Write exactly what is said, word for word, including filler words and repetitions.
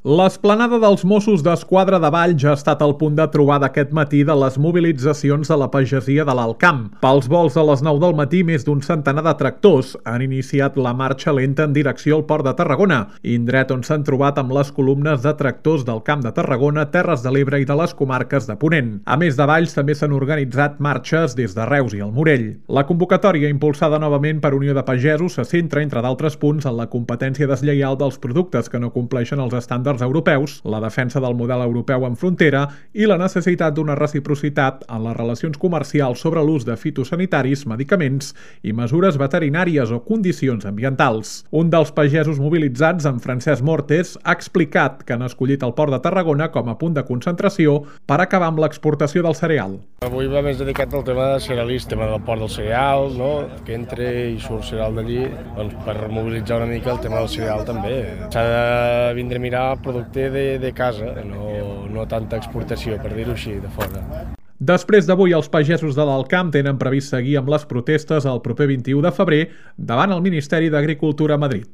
L'esplanada dels Mossos d'Esquadra de Valls ha estat el punt de trobada aquest matí de les mobilitzacions de la pagesia de l'Alt Camp. Pels vols a les nou del matí, més d'un centenar de tractors han iniciat la marxa lenta en direcció al Port de Tarragona, indret on s'han trobat amb les columnes de tractors del Camp de Tarragona, Terres de l'Ebre i de les comarques de Ponent. A més de Valls, també s'han organitzat marxes des de Reus i el Morell. La convocatòria, impulsada novament per Unió de Pagesos, se centra, entre d'altres punts, en la competència deslleial dels productes que no compleixen els estàndards europeus, la defensa del model europeu en frontera i la necessitat d'una reciprocitat en les relacions comercials sobre l'ús de fitosanitaris, medicaments i mesures veterinàries o condicions ambientals. Un dels pagesos mobilitzats, en Francesc Mortes, ha explicat que han escollit el Port de Tarragona com a punt de concentració per acabar amb l'exportació del cereal. Avui va més dedicat al tema de cerealista, tema del port del cereal, no? Que entre i surt cereal d'allí, doncs per mobilitzar una mica el tema del cereal també. S'ha de vindre a mirar el producte de, de casa, no, no tanta exportació, per dir-ho així, de fora. Després d'avui, els pagesos de l'Alt Camp tenen previst seguir amb les protestes el proper vint-i-u de febrer davant el Ministeri d'Agricultura a Madrid.